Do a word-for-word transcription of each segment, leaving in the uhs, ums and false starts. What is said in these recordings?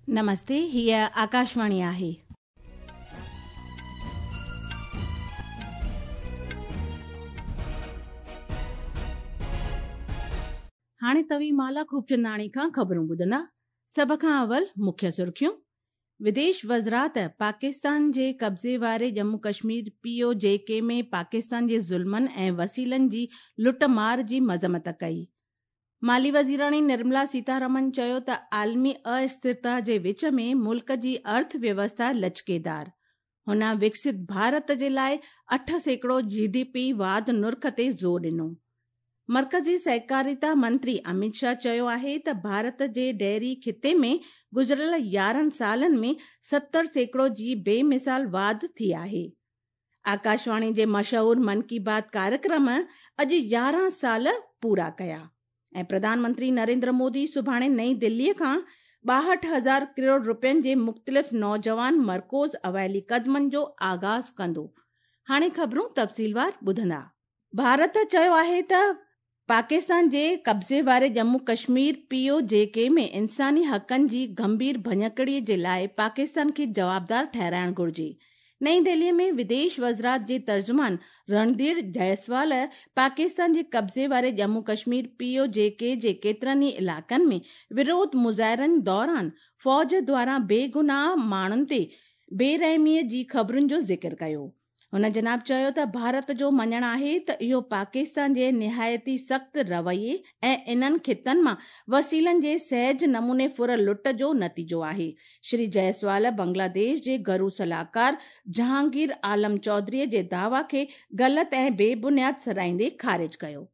नमस्ते, हीअ आकाशवाणी आहे। हाणे तव्हीं माला खूबचंदाणी खां ख़बरूं ॿुधंदा। सभ खां अवल मुख्य सुर्खियूं। विदेश वज़ारत पाकिस्तान जे कब्ज़े वारे जम्मू कश्मीर पी ओ जे के में पाकिस्तान जे ज़ुल्मनि ऐं वसीलनि जी लुट मार जी मज़म्मत कई। माली वज़ीराणी निर्मला सीतारमन चयो त आलमी अस्थिरता जे विच में मुल्क जी अर्थव्यवस्था लचकेदार। हुन विकसित भारत जे लाइ अठ सैकड़ो जी डी पी वाध नुर्ख ते ज़ोर ॾिनो। मर्कज़ी सहकारिता मंत्री अमित शाह चयो आहे त भारत जे डेयरी खिते में गुज़िरियल यारहं सालनि में सत्तर सैकड़ो जी बेमिसाल वाध थी आहे। आकाशवाणी जे मशहूर मन की बात कार्यक्रम अॼु यारहं साल पूरा कया ऐं प्रधानमंत्री नरेंद्र मोदी सुभाणे नई दिल्लीअ खां ॿाहठि हज़ार करोड़ रुपयनि जे मुख़्तलिफ़ नौजवान मरकोज़ अवाइली क़दमनि जो आगाज़ कंदो। हाणे ख़बरूं तफ़सीलवार ॿुधंदा। भारत चयो आहे त पाकिस्तान जे कब्ज़े वारे जम्मू कश्मीर पी ओ जे के में इंसानी हक़नि जी गंभीर भञकड़ीअ जे लाइ पाकिस्तान खे जवाबदार ठहिराइणु घुर्जे। नई दिल्लीअ में विदेश वज़ारत जे तर्जुमान रणधीर जायसवाल पाकिस्तान जे कब्ज़े वारे जम्मू कश्मीर पी ओ जे के जे केतिरनि ई इलाइक़नि में विरोध मुज़ाहिरनि दौरान फ़ौज द्वारा बेगुनाह माण्हुनि ते बेरहमीअ जी ख़बरुनि जो ज़िक्र कयो। हुन जनाब चयो त भारत जो मञणु आहे त इहो पाकिस्तान जे निहायती सख़्त रवैये ऐं इन्हनि खितनि मां वसीलनि जे सहज नमूने फुर लुट जो नतीजो आहे। श्री जायसवाल बांग्लादेश जे घरू सलाहकार जहांगीर आलम चौधरीअ जे दावा खे ग़लति ऐं बेबुनियाद सराहींदे ख़ारिज कयो।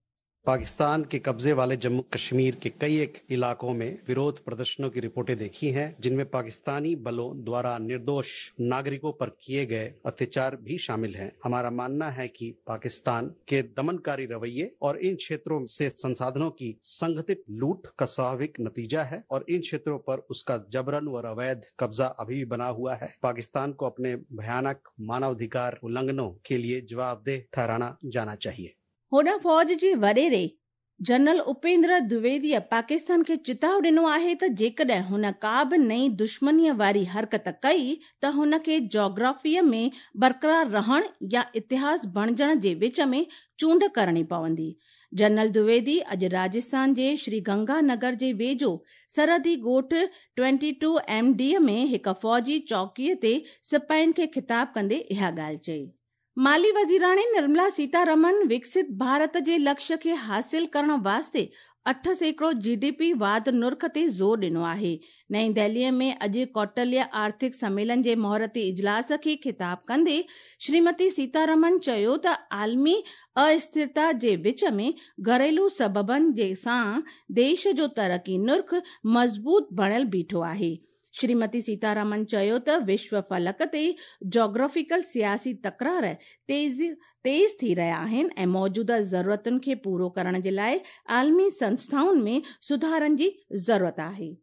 पाकिस्तान के कब्जे वाले जम्मू कश्मीर के कई एक इलाकों में विरोध प्रदर्शनों की रिपोर्टें देखी हैं, जिनमें पाकिस्तानी बलों द्वारा निर्दोष नागरिकों पर किए गए अत्याचार भी शामिल हैं। हमारा मानना है कि पाकिस्तान के दमनकारी रवैये और इन क्षेत्रों से संसाधनों की संगठित लूट का स्वाभाविक नतीजा है और इन क्षेत्रों पर उसका जबरन और अवैध कब्जा अभी भी बना हुआ है। पाकिस्तान को अपने भयानक मानवाधिकार उल्लंघनों के लिए जवाबदेह ठहराना जाना चाहिए। होॾां फ़ौज जे वॾेरे जनरल उपेंद्र द्विवेदीअ पाकिस्तान खे चिताव ॾिनो आहे त जेकॾहिं हुन का बि नई दुश्मनीअ वारी हरकत कई त हुनखे जोग्राफीअ में बरक़रार रहण या इतिहास बणिजण जे विच में चूंड करणी पवंदी। जनरल द्विवेदी अॼु राजस्थान जे श्री गंगा नगर जे वेझो सरहदी ॻोठ ट्वेंटी टू एम डी में हिकु फ़ौजी चौकीअ ते सिपाहियुनि खे ख़िताब कंदे इहा ॻाल्हि चई। माली वज़ीराणी निर्मला सीतारमन विकसित भारत जे लक्ष्य खे हासिल करण वास्ते अठ सैकड़ो जी डी पी वाध नुर्ख ते ज़ोर ॾिनो आहे। नई दिल्लीअ में अॼु कौटल्य आर्थिक सम्मेलन जे मुहूर्ती इजलास खे ख़िताब कंदे श्रीमती सीतारमन चयो त आलमी अस्थिरता जे विच में घरेलू सबबनि जे सां देश जो तरक़ी नुर्ख मज़बूत बणियल बीठो आहे। श्रीमती सीतारमन चयो त विश्व फलक ते जोग्राफिकल सियासी तकरार तेज़ तेज़ थी रहिया आहिनि ऐं मौजूदा ज़रूरतुनि खे पूरो करण जे लाइ आलमी संस्थाउनि में सुधारनि जी ज़रूरत आहे।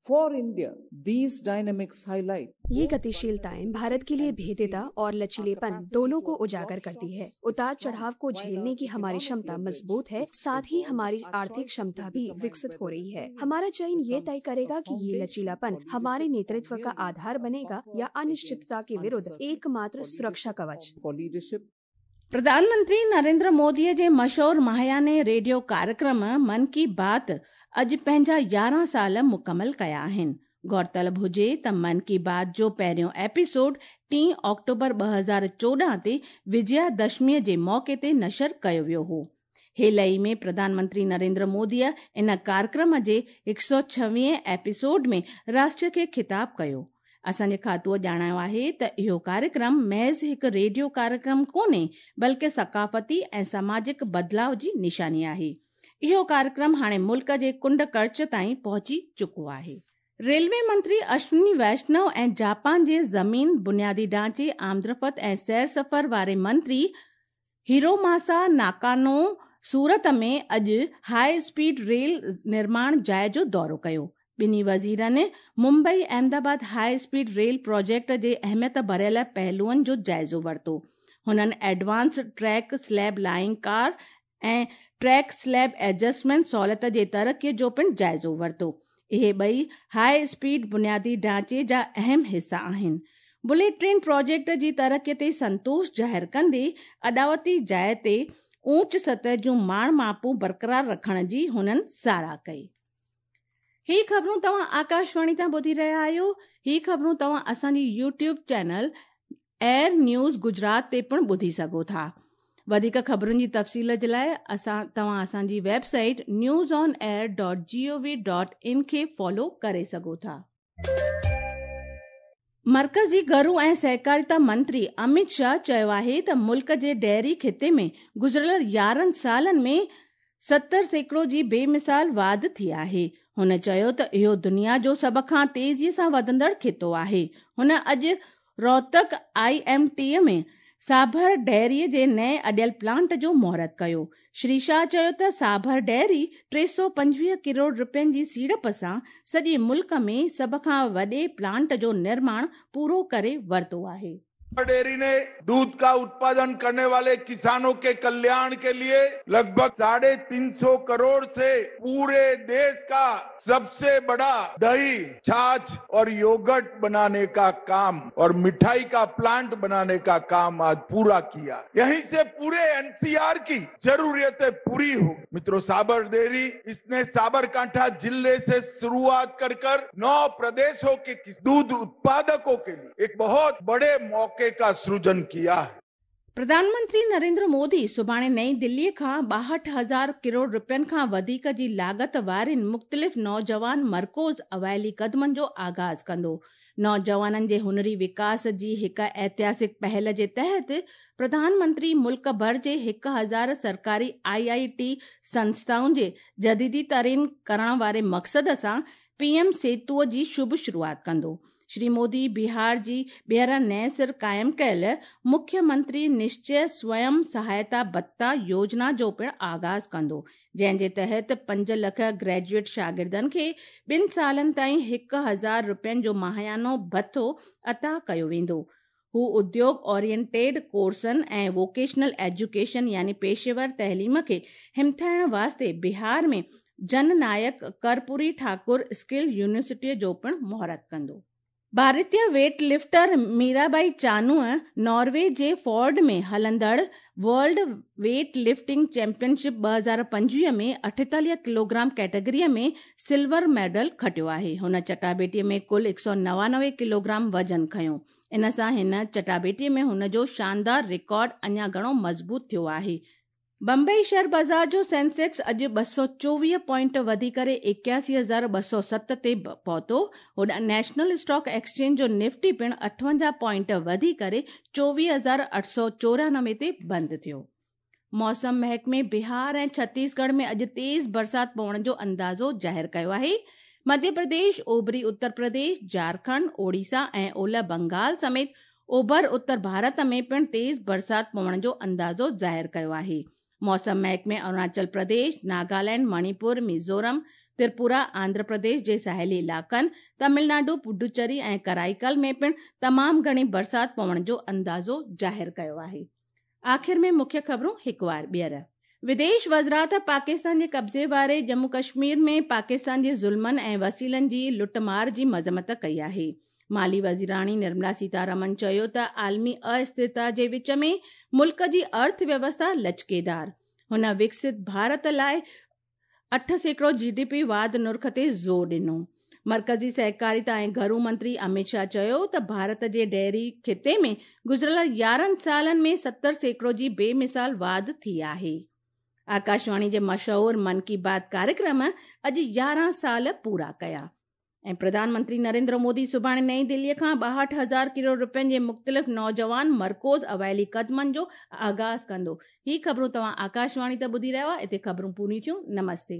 For India, these dynamics highlight ये गतिशीलताएं भारत के लिए भेद्यता और लचीलेपन दोनों को उजागर करती है। उतार चढ़ाव को झेलने की हमारी क्षमता मजबूत है, साथ ही हमारी आर्थिक क्षमता भी विकसित हो रही है। हमारा चयन ये तय करेगा कि ये लचीलापन हमारे नेतृत्व का आधार बनेगा या अनिश्चितता के विरुद्ध एकमात्र सुरक्षा कवच। प्रधानमंत्री नरेंद्र मोदीअ जे मशहूर माहियाने रेडियो कार्यक्रम मन की बात अॼु पंहिंजा यारहं साल मुकमल कया आहिनि। गौरतलब हुजे त मन की बात जो पहिरियों एपिसोड टी अक्टूबर ॿ हज़ार चोॾहं ते विजयादशमीअ जे मौक़े ते नशर कयो वियो हो। हेल ई में प्रधानमंत्री नरेंद्र मोदीअ इन कार्यक्रम जे हिकु सौ छवीह एपिसोड में राष्ट्र खे ख़िताब कयो। असांजे खातूअ ॼाणायो आहे त इहो कार्यक्रम महज़ हिकु रेडियो कार्यक्रम कोन्हे बल्कि सकाफ़ती ऐं सामाजिक बदिलाव जी निशानी आहे। इहो कार्यक्रम हाणे मुल्क जे कुंड कड़च ताईं पहुची चुको आहे। रेलवे मंत्री अश्विनी वैष्णव ऐं जापान जे ज़मीन, बुनियादी ढांचे, आमदरफ़्त ऐं सैर सफ़र वारे मंत्री हिरोमासा नाकानो सूरत में अॼु हाई स्पीड रेल निर्माण जाइ जो दौरो कयो। ॿिन्ही वज़ीरनि Mumbai Ahmedabad high speed rail project जे अहमियत भरियल पहलुअनि जो जाइज़ो वरितो। हुननि advance track slab lying car ऐं ट्रैक स्लैब एडजस्टमेंट सहूलियत जे तरक़ीअ जो पिणु जाइज़ो वरितो। इहे ॿई हाई स्पीड बुनियादी ढांचे जा अहम हिस्सा आहिनि। बुलेट ट्रेन प्रोजेक्ट जी तरक़ी ते संतोष ज़ाहिर कंदे अॾावती जाइ ते ऊंच सतह जूं माण मापूं बरक़रार रखण जी हुननि सराह कई। ही ख़बरूं तव्हां आकाशवाणी तां ॿुधी रहिया आहियो। ही ख़बरूं तव्हां असांजी YouTube channel air news Gujarat ते पिणु ॿुधी सघो था। वधीक ख़बरुनि जी तफ़सील जे लाइ असां तव्हां असांजी website news on air dot G O V dot in खे फॉलो करे सघो था। मर्कज़ी घरू ऐं सहकारिता मंत्री अमित शाह चयो आहे त मुल्क जे डेयरी खिते में गुज़िरियल यारहं सालनि में सत्तर सैकड़ो जी बेमिसाल वाध थी आहे। हुन चयो त इहो दुनिया जो सभ खां तेज़ीअ सां वधंदड़ खितो आहे। हुन अॼु रोहतक I M T में साभर डेयरी जे नए अॾियल प्लांट जो मुहूर्त कयो। श्री शाह चयो त साभर डेयरी टे सौ पंजवीह करोड़ रुपयनि जी सीड़प सां सॼे मुल्क में सभ खां वॾे प्लांट जो निर्माण पूरो करे वरितो आहे। डेयरी ने दूध का उत्पादन करने वाले किसानों के कल्याण के लिए लगभग साढ़े तीन सौ करोड़ से पूरे देश का सबसे बड़ा दही, छाछ और योगर्ट बनाने का काम और मिठाई का प्लांट बनाने का काम आज पूरा किया। यहीं से पूरे एनसीआर की जरूरतें पूरी हो। मित्रों, साबर डेयरी इसने साबरकांठा जिले से शुरुआत कर कर नौ प्रदेशों के दूध उत्पादकों के लिए एक बहुत बड़े मौके का सृजन किया है। प्रधानमंत्री नरेंद्र मोदी सुभाणे नई दिल्लीअ खां ॿाहठि हज़ार करोड़ रुपयनि खां वधीक जी लागत वारनि मुख़्तलिफ़ नौजवान मरकोज़ अवाइली क़दमनि जो आगाज़ कंदो। नौजवाननि जे हुनरी विकास जी हिकु ऐतिहासिक पहल जे तहत प्रधानमंत्री मुल्क भर जे हिकु हज़ार सरकारी आई I T संस्थाउनि जे जदीदी तरीन करण वारे मक़सद सां पीएम सेतुअ जी शुभ शुरुआत कंदो। श्री मोदी बिहार जी ॿीहर नए सिर क़ाइमु कयल मुख्यमंत्री निश्चय स्वयं सहायता भत्ता योजना जो पिणु आगाज़ कंदो, जंहिंजे तहत पंज लख ग्रेजुएट शागिर्दनि खे ॿिनि सालनि ताईं हिकु हज़ार रुपयनि जो माहियानो भत्तो अता कयो वेंदो। हू उद्योग ओरिएंटेड कोर्सनि ऐं वोकेशनल एजुकेशन यानी पेशेवर तइलीम खे हिमथाइण वास्ते बिहार में जननायक कर्पूरी ठाकुर स्किल यूनिवर्सिटीअ जो पिणु मुहूर्त कंदो। भारतीय वेट लिफ्टर मीराबाई चानूअ नॉर्वे जे फोर्ड में हलंदड़ वर्ल्ड वेट लिफ्टिंग चैंपियनशिप ॿ हज़ार पंजवीह में अठेतालीह किलोग्राम कैटेगरीअ में सिल्वर मेडल खटियो आहे। हुन चटाबेटीअ में कुल हिकु सौ नवानवे किलोग्राम वज़न खयो। इन सां हिन चटाबेटीअ में हुन जो शानदार रिकॉर्ड अञा घणो मज़बूत थियो आहे। बम्बई शेयर बाज़ार जो सेंसेक्स अॼु ॿ सौ चोवीह पॉइंट वधी करे एकासी हज़ार ॿ सौ सत ते पहुतो। होॾां नेशनल स्टॉक एक्सचेंज जो निफ्टी पिणु अठवंजाह पॉइंट वधी करे चोवीह हज़ार अठ सौ चोरानवे ते बंदि थियो। मौसम महकमे बिहार ऐं छत्तीसगढ़ में अॼु तेज़ बरसात पवण जो अंदाज़ो ज़ाहिर कयो आहे। मध्य प्रदेश, ओभरी उत्तर प्रदेश, झारखंड, ओडिशा ऐं ओलह बंगाल समेत ओभर उत्तर भारत में पिणु तेज़ बरसात पवण जो अंदाज़ो ज़ाहिर कयो आहे। मौसम महकमे अरुणाचल प्रदेश, नागालैंड, मणिपुर, मिज़ोरम, त्रिपुरा, आंध्र प्रदेश जे साहिली इलाइक़नि, तमिलनाडु, पुडुचेरी ऐं कराईकल में पिणु तमामु घणी बरसात पवण जो अंदाज़ो ज़ाहिर कयो आहे। आख़िर में मुख्य ख़बरूं हिकु वार ॿीहर। विदेश वज़ारत पाकिस्तान जे कब्ज़े वारे जम्मू कश्मीर में पाकिस्तान जे ज़ुल्मनि ऐं वसीलनि जी लुटमार जी मज़म्मत कई आहे। माली वज़ीराणी निर्मला सीतारमन चयो त आलमी अस्थिरता जे विच में मुल्क जी अर्थव्यवस्था लचकेदार। हुन विकसित भारत लाइ अठ सैकड़ो जी डी पी वाध नुर्ख ते ज़ोर ॾिनो। मर्कज़ी सहकारिता ऐं घरू मंत्री अमित शाह चयो त भारत जे डेयरी खिते में गुज़िरियल यारहं सालनि में सत्तर सैकड़ो जी बेमिसाल वाध थी आहे। आकाशवाणी जे मशहूर मन की बात कार्यक्रम अॼु यारहं साल पूरा कया। ऐं प्रधानमंत्री नरेंद्र मोदी सुभाणे नई दिल्लीअ खां ॿाहठि हज़ार करोड़ रुपयनि जे मुख़्तलिफ़ नौजवान मरकोज़ अवाइली क़दमनि जो आगाज़ कंदो। ही ख़बरूं तव्हां आकाशवाणी ते ॿुधी रहिया हुआ। हिते ख़बरूं पूरी थियूं। नमस्ते।